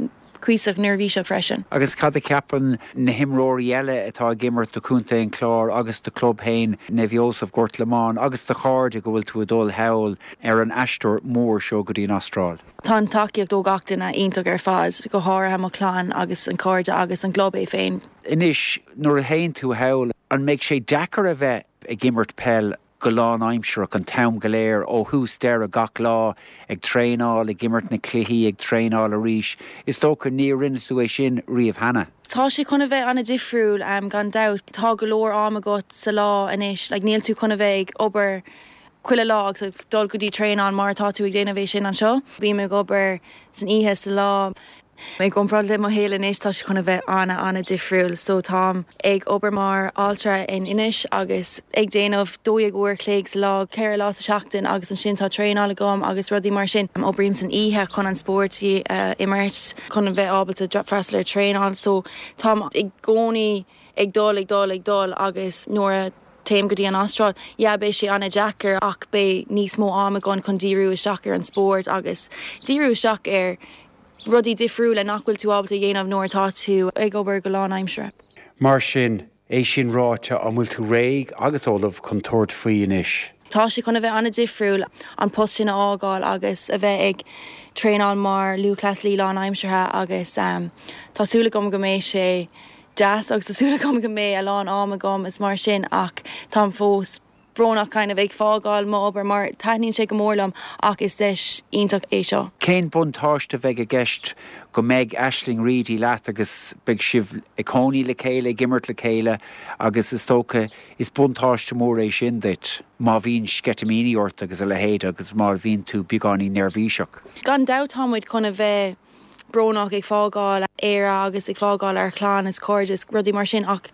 cuíosach neirbhíseach freisin. Agus cad a cheapann na himreoirí eile atá ag imirt do Chontae an Chláir agus do chlub féin, Naomh Iósaf, Gort Lomáin agus do chairde go bhfuil tú ag dul thall ar an aistear mór seo go dtí an Astráil? Tá an tacaíocht ó gach duine iontach ar fad, go háirithe mo chlann agus an cairde agus an gclub é féin. Anois, nuair a théann tú thall, an mbeidh sé deacair a bheith ag imirt peil go lánaimsearach an t-am go léir, ó thús deireadh, gach lá, ag traenáil, ag imirt na cluichí, ag traenáil arís? Is dócha níor rinne tú é sin riamh cheana. Tá sé chun a bheith an-difriúil, gan dabht. Tá go leor am agat sa lá anois, like níl tú chun a bheith ag obair chuile lá agus ag dul go dtí traenáil mar atá tú ag déanamh é sin anseo. Bím ag obair san oíche, sa lá. I gcomparáid le mo shaol anois tá sé chun a bheith an-an-difriúil. So táim ag obair mar altra in Inis agus ag déanamh 12 uair chloig sa lá, 4 lá sa seachtain agus ansin tá traenáil agam agus rudaí mar sin. Oibrím san oíche chun an spórt a imirt, chun a bheith ábalta freastal ar traenáil. So táim i gcónaí ag dul, ag dul, ag dul agus nuair a téim go dtí an Astráil, yeah beidh sé an-deacair ach beidh níos mó am agam chun díriú isteach ar an spórt agus díriú isteach ar rudaí difriúla nach bhfuil tú ábalta a dhéanamh nuair atá tú ag obair go lánaimseartha. Mar sin, é sin ráite, an bhfuil tú réidh agus ullamh chun tabhairt faoi anois? Tá sé chun a bheith an-difriúil an post sin a fhágáil agus a bheith ag traenáil mar lúthchleasaí lánaimseartha agus tá súil agam go mbeidh sé deas agus tá súil agam go mbeidh a lán am agam is mar sin ach táim fós brónach kind of ag fágáil mo obair mar taitníonn sé go mór liom ach is deis iontach é seo. Cén buntáiste a bheidh i gceist go mbeidh Aisling Reidy leat agus beidh sibh ag cónaí le chéile, ag imirt le chéile agus is dócha is buntáiste mór é sin duit má bhíonn sceitimíní ort agus a leithéid agus má bhíonn tú beagáinín neirbhíseach. Gan dabht tá muid chun a bheith brónach ag fágáil Éire agus ag fágáil ár chlann is cairde is rudaí mar sin ach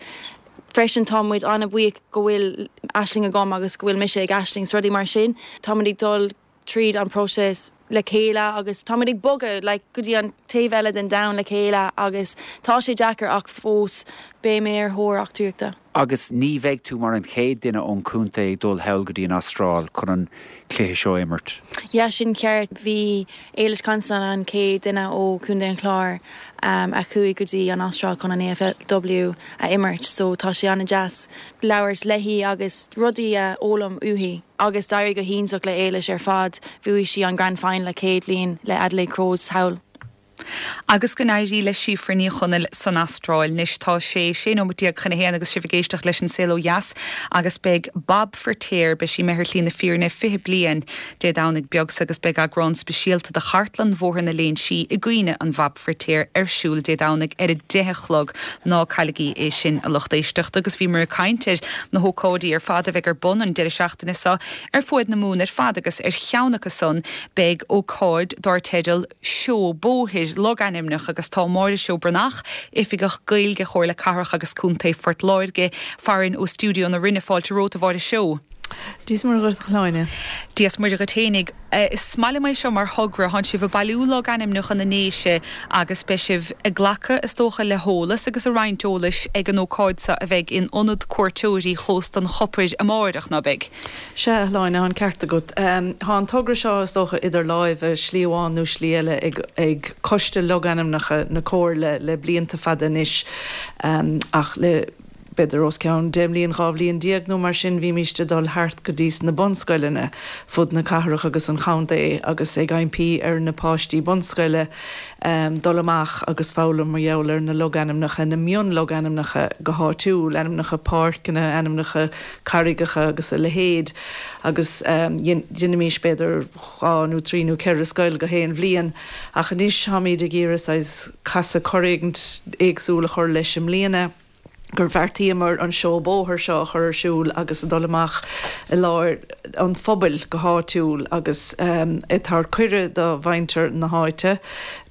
freisin tá muid an-bhuíoch go bhfuil Aisling agam agus go bhfuil mise ag Aisling is rudaí mar sin. Tá muid ag dul tríd an próiseas le chéile agus tá muid ag bogadh like go dtí an taobh eile den domhan le chéile agus tá sé deacair ach fós beidh mé ar thóir eachtraíochta. Agus ní bheidh tú mar an chéad duine ón chontae ag dul thall go dtí an Astráil chun an cluiche seo a imirt. Yeah, sin ceart. Bhí Éilis Considine an chéad duine ó Chontae an Chláir a chuaigh go dtí an Astráil chun an AFLW a imirt so tá sé an-deas labhairt léi agus rudaí a fhoghlaim uaithi. Agus d'éirigh go hiontach le Éilis ar fad, bhuaigh sí an Grand Final a chéad bhliain le Adelaide Crows thall. Agus go n-éirí le Síofra Ní Chonaill san Astráil. Anois tá sé 16 nóiméad chun a haon agus sibh ag éisteacht leis an Saol Ó Dheas agus beidh Bob Feirtéar, beidh sí imithe ar shlí na fírinne 20 bliain Dé Domhnaigh beag seo agus beidh eagrán speisialta de Chartlann Bhóthar na Léinsí i gcuimhne an Bhob Feirtéar ar siúl Dé Domhnaigh ar a 10 a chlog. Ná cailligí é sin a lucht éisteachta. Agus bhíomar ag caint ar na hócáidí ar fad a bheidh ar bun an deireadh seachtaine seo ar fuaid na Mumhan ar fad agus ar cheann acu san beidh ócáid dár teideal Seó Bóthair Logainmneach agus tá Máire Seó Breathnach, Oifigeach Gaeilge Chomhairle Cathrach agus Contae Phort Láirge, farainn ó Stiúideo na Rinne. Fáilte romhat, a Mháire Seó. Dia is Muire dhuit, a Shláine. Dia is Muire dhuit fhéinig. Is maith liom é seo mar thogra. Tánn sibh ag bailiú logainmneacha na nDéise agus beidh sibh ag glacadh, is dócha, le heolas agus ag roinnt eolais ag an ócáid seo a bheidh in Ionad Cuairteoirí Chósta an Chopair amáireach, ná beidh? Sea, a Shláine, tá an ceart agat. Tá an togra seo, is dócha, idir láimhe, slí amháin nó slí eile, ag Coiste Logainmneacha na Comhairle le blianta fada anois, ach le b'fhéidir os cionn 10 mbliain, 12 bhliain nó mar sin, bhímíst ag dul thart go dtí sna bunscoileanna fud na cathrach agus an chontae agus ag impí ar na páistí bunscoile dul amach agus foghlaim mar gheall ar na logainmneacha, na mionlogainmneacha go háitiúil, ainmneacha páirceanna, ainmneacha carraigeacha agus a leithéid agus dheinimís b'fhéidir 2 nó 3 nó 4 scoil go haon bhliain ach anois táimíd ag iarraidh saghas casadh cor éigint éagsúil a chur leis i mbliana gur bheartaíomar an seó bóthair seo a chur ar siúl agus a dul amach i lár an phobail go háitiúil agus ag tabhairt cuireadh do mhuintir na háite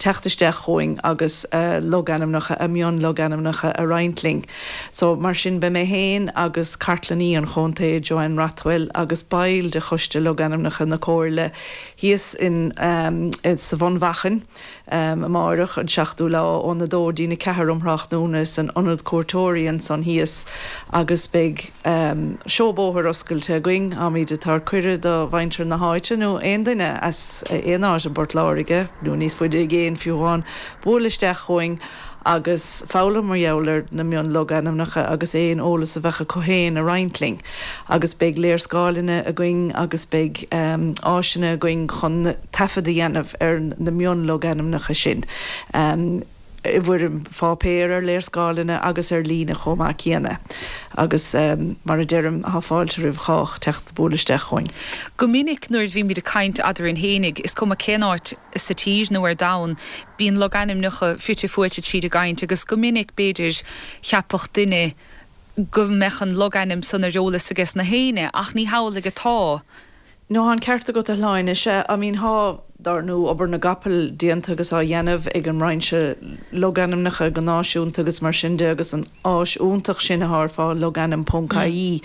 teacht isteach chugainn agus logainmneacha, a mionlogainmneacha a roinnt linn. So, mar sin, beidh mé féin agus Cartlannaí an Chontae, Joanne Rothwell, agus baill de Choiste Logainmneacha na Comhairle. thíos in sa Bhun Mhachain amáireach, an 7ú lá, óna 2 dtí'n 4 um thráthnóna san Ionad Cuairteoirí ansan thíos agus beidh seó bóthair oscailte againn. Táimid ag tabhairt cuireadh do mhuintir na háite nó aon duine as aon áit i bPort Láirge nó níos faide i gcéin fiú amháin bualadh isteach chugainn agus foghlaim mar gheall ar na mion-logainmneacha agus aon eolas a bheadh acu féin a roinnt linn. Agus beidh léarscáileanna againn agus beidh áiseanna againn chun taifead a dhéanamh ar na mion-logainmneacha sin i bhfoirm pháipéir, ar léarscáileanna agus ar líne chomh maith céanna. Agus mar a deirim, tá fáilte roimh chách teacht bualadh isteach chugainn. Go minic nuair a bhímid ag caint eadrainn fhéinig, is cuma cén áit sa tír nó ar domhan, bíonn logainmneacha fite fuaite tríd an gcaint agus go minic, b'fhéidir, cheapfadh duine go mbeadh an logainm san ar eolas ages na héinne, ach ní hamhlaidh atá. No, tá an ceart agat, a Shláine. Sea, I mean, thá, dár ndú, obair na gcapall déanta agus á dhéanamh ag an mBrainse Logainmneacha go náisiúnta agus mar sin de agus an áis iontach sin athá ar fáil, logainm ponc ie.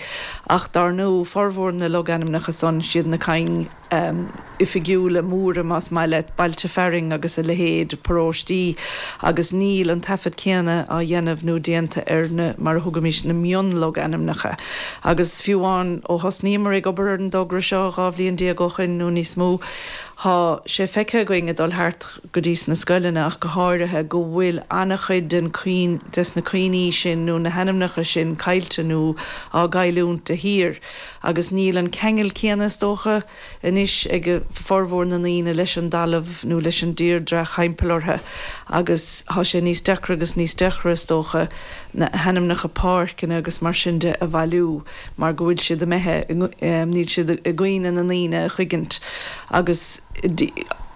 Ach dár ndú, formhór na logainmneacha san, siad na cinn oifigiúla móra, más maith leat, bailte fearainn agus a leithéid, paróistí, agus níl an taifead céanna á dhéanamh nó déanta ar na, mar a thugaimis, na mionlogainmneacha. Agus fiú amháin ó thosnaíomar ag obair ar an dtogra seo 12 bhliain ó shoin nó níos mó, thá sé feicthe againn ag dul thart go dtí sna scoileanna ach go háirithe, go bhfuil an-chuid den des na cuimhní sin nó na hainmneacha sin caillte nó á gcailliúint de shíor. Agus níl an ceangal céanna, is dócha, anois ag formhór na ndaoine leis an dtalamh nó leis an dtírdreach thimpeall orthu agus thá sé níos deacra agus níos deacra, is dócha, na hainmneacha páirceanna agus mar sin de a bhailiú mar go bhfuil siad imithe, níl siad i gcuimhne na ndaoine a thuigeann agus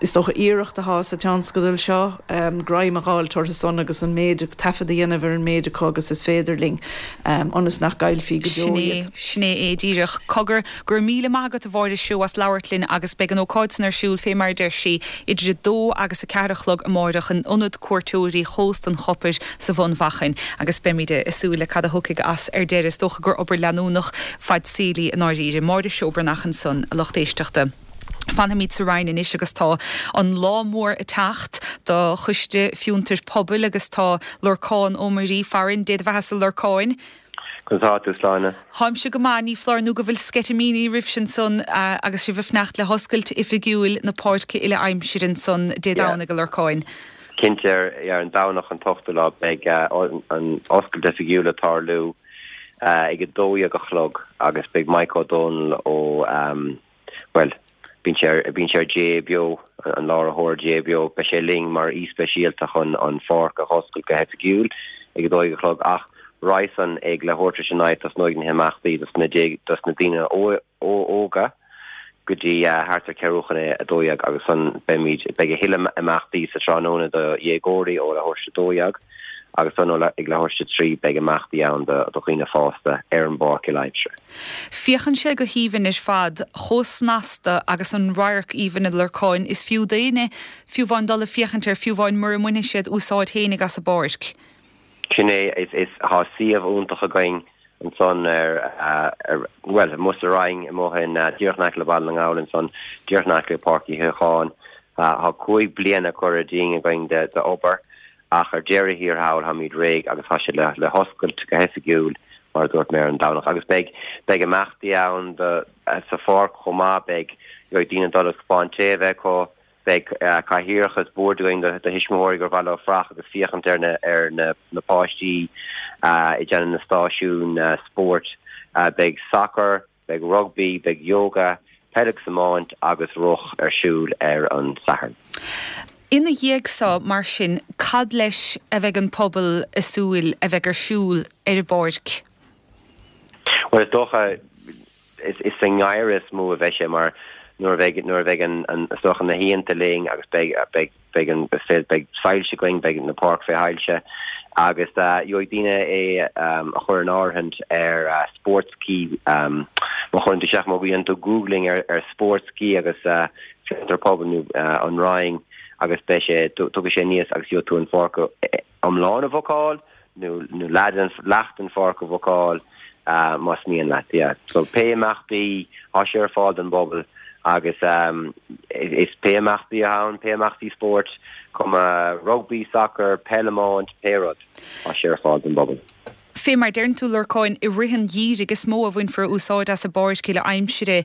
is dócha iarracht athá sa tionscadal seo greim a dh'fháilt orthu san agus an méid, taifead a dhéanamh ar an méid acu agus is féidir linn ionas nach gcaillfí go deo iad. Sin é é díreach. Cogar, go raibh míle maith agat a Mháire Seó as labhairt linn agus beidh an ócáid san ar siúl fé mar a deir sí, idir 2 agus 4 a chlog amáireach in Ionad Cuairteoirí Chósta an Chopair sa Bhun Mhachain agus beimid ag súil le cad a thiocfaidh as ar deireadh. Is dócha gur obair leanúnach fad saoil í i ndáiríre. Máire Seó Breathnach ansan, a lucht éisteachta. Fanfaimid sa Rinn anois agus tá an lá mór ag teacht do Choiste Fiontair Pobail agus tá Lorcán Ó Muirí farainn. Dé do bheatha-sa a Lorcáin. Conas tá tú, Sláine? Táimse go maith, ní foláir nó go bhfuil sceitimíní oraibhse ansan agus sibh ag fanacht le hoscailt oifigiúil na páirce uile-aimsire ansan Dé Domhnaigh, a Lorcáin. Cinnte, ar an Domhnach an t-ochtú lá beidh an oscailt oifigiúil ag tarlú ag 12 a chlog agus beidh Mike Ó Dónaill ó bhuel, bíonn sé ar, bíonn sé ar Dé Beo, an láithreoir Dé Beo, beidh sé linn mar aoi speisialta chun an pháirc a dh'oscailt go hoifigiúil ag 12 a chlog ach roimhe san ag leathuair tar éis a naoi tosnóidh na himeachtaí dos na, dos na daoine óga go dtí thart ar ceathrú chun a 12 agus san beimid, beidh a thuilleadh imeachtaí sa tráthnóna do dhéagóirí ó leathuair tar éis a 12 agus san ag leathuair tar éis a 3 beidh imeachtaí ann do dhaoine fásta ar an bpáirc uile-aimsire. Féachann sé go haoibhinn ar fad, chomh snasta agus an radharc aoibhinn a Lorcáin, is fiú d'éinne fiú amháin dul ag féachaint air, fiú amháin mura mbainfidh siad úsáid fhéinig as an bpáirc. Sin é, is, thá suíomh iontach againn ansan ar, ar, bhuel, amuigh sa Rinn, amuigh in, díreach in aice le Baile na nGall ansan, díreach in aice le Páirc Uí Shíocháin. Thá 5 bliana curtha dínn againn de, d'obair Ach ar deireadh thiar thall táimid réidh agus tá sé le hoscailt go hoifigiúil, mar a dúirt mé, ar an Domhnach. Agus beidh, beidh imeachtaí ann do, sa pháirc chomh maith, beidh, beidh daoine ag dul agus cupán tae a bheith acu, beidh cathaoireacha is boird againn do thuismitheoirí gur mhaith leo fuireach agus féachaint ar na, ar na, na páistí ag déanamh na stáisiún spóirt. Beidh sacar, Beidh rugbaí, beidh yoga, peil agus iomáint agus rith ar siúl ar an Satharn. Ina dhiaidh so, mar sin, cad leis a bheidh an pobal ag súil a bheidh ar siúl ar an bpáirc? Bhuel, is dócha, is sa ngeimhreadh is mó a bheidh sé mar nuair a bheidh, nuair a bheidh an, is dócha na hoícheanta linn agus beidh, beidh, beidh an, beidh soilse againn, beidh na páirc fé shoilse agus gheobhaidh daoine é a chur in áirithint ar Sportskey. Má chuireann tú isteach, má dhéanann tú googling ar ar Sportskey agus Fiontar Pobail nó an Rinn agus beidh sé, tiocfaidh sé aníos agus gheobhaidh tú an pháirc iomlán a bhookáil nó nó leath den pháirc a bhookáil más mian leat. Yeah. So pé imeachtaí, tá sé ar fáil don bpobal. Agus is pé imeachtaí atá ann, pé imeachtaí spóirt, cuma rugbaí, sacar, peil, iomáint, pé rud, tá sé ar fáil don bpobal. Fé mar deireann tú, Lorcáin, i rith an gheimhridh is mó a bhainfear úsáid as an bpáirc le aimsire.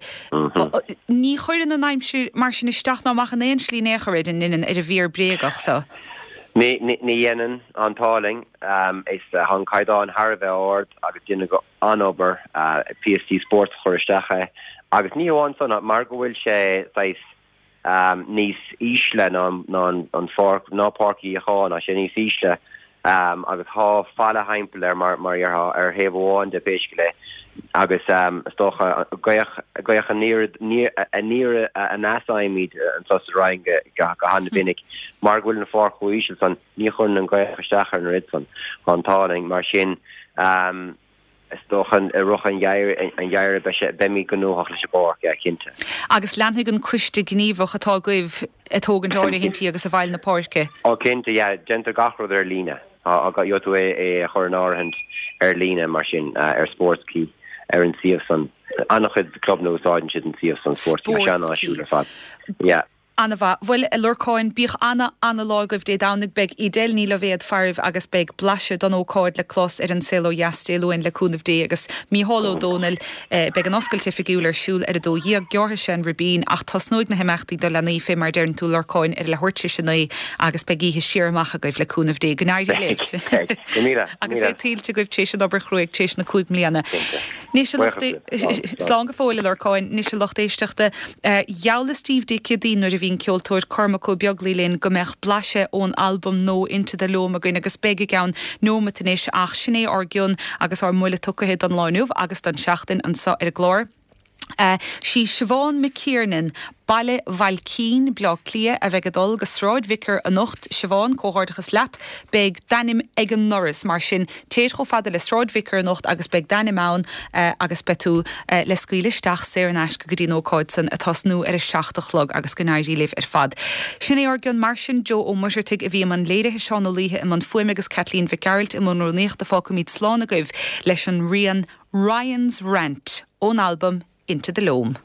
Ní chuireann an aimsir mar sin isteach ná amach in aon slí in aon chor ar an ar an bhfíor bréagach so. Ní dhéanann, an t-ádh linn. Is tá an caighdeán thar a bheith ard agus deineadh an-obair PSG Sports a chuir isteach é agus ní hamháin san mar go bhfuil sé saghas níos ísle ná an pháirc, ná Páirc Uí Fhiacháin, tá sé níos ísle agus tá falla thimpeall air mar mar dhéarfá ar thaobh amháin de pé scéal é agus is dócha gaoth gaoth aniar aniar aneas a fhaighimid anseo sa Rinn go go han-mhinic mar go bhfuil an pháirc chomh íseal san ní chuireann an ghaoth isteach ar an oiread san. Tá an t-ádh linn. Mar sin Is dócha i rith an gheimhridh beidh sé, beimid gnóthach leis an bpáirc, yeah, cinnte. Agus leanfaidh an coiste gníomhach atá agaibh ag tógaint áirithintí agus i bhfeighil na páirce? Ó cinnte, yeah, déantar gach rud ar líne. Gheobhaidh tú é a chur in áirithint ar líne mar sin, ar Sportskey, ar an suíomh san. An-chuid clubanna úsáideann siad an suíomh san, Sportskey, tá sé an-áisiúil ar fad. Yeah. Ana-mhaith. Bhuel, a Lorcáin, bíodh ana, ana-lá agaibh Dé Domhnaigh. Beidh Edel Ní Loibhéad faraibh agus beidh blaiseadh don ócáid le clos ar An Saol Ó Dheas Dé Luain le cúnamh Dé agus Mícheál Ó Dónaill. Beidh an oscailt oifigiúil ar siúl ar a 12:00. Gearrfaidh sé an ribín ach tosnóidh na himeachtaí do leanaí fé mar a deireann tú, Lorcáin, ar a leathuair tar éis a 9 agus beidh oíche siar amach agaibh le cúnamh Dé. Go n-éirí libh. Beidh. Go míle. Agus é tuillte agaibh tar éis an obair chruaidh tar éis na cúig mbliana. Anois a lucht Slán go fóill a Lorcáin. Anois a lucht éisteachta, gheallas daoibh Dé Céadaoin nuair a bhí an ceoltóir Cormac Ó Beaglaoi linn go mbeadh blaiseadh ón albam nua Into the Loam againn agus beidh i gceann neomat anois ach sin é ár gcion agus ár mbuille tugtha don lá inniu agus don seachtain anseo ar an gclár. Sí Siobhán McKiernan, Baile Bhailcín, Bleá Cliath, a bheidh ag dul go Sráid Vicar anocht. Siobhán, comhghairdeachas leat. Beidh d'ainm ag an ndoras, mar sin téir chomh fada le Sráid Vicar anocht agus beidh d'ainm ann agus beidh tú le scaoileadh isteach saor in aisce go dtí an ócáid san ag tosnú ar a 7 a chlog agus go n-éirí libh ar fad. Sin é ár gcion mar sin, Joe Ó Muircheartaigh a bhí i mbun léirithe, Seán Ó Laoithe i mbun fuaime agus Caitlín Mhic Gearailt i mbun rúnaíochta. Fágfaimid slán agaibh leis an rian Ryan's Rant ón albam Into the Loam.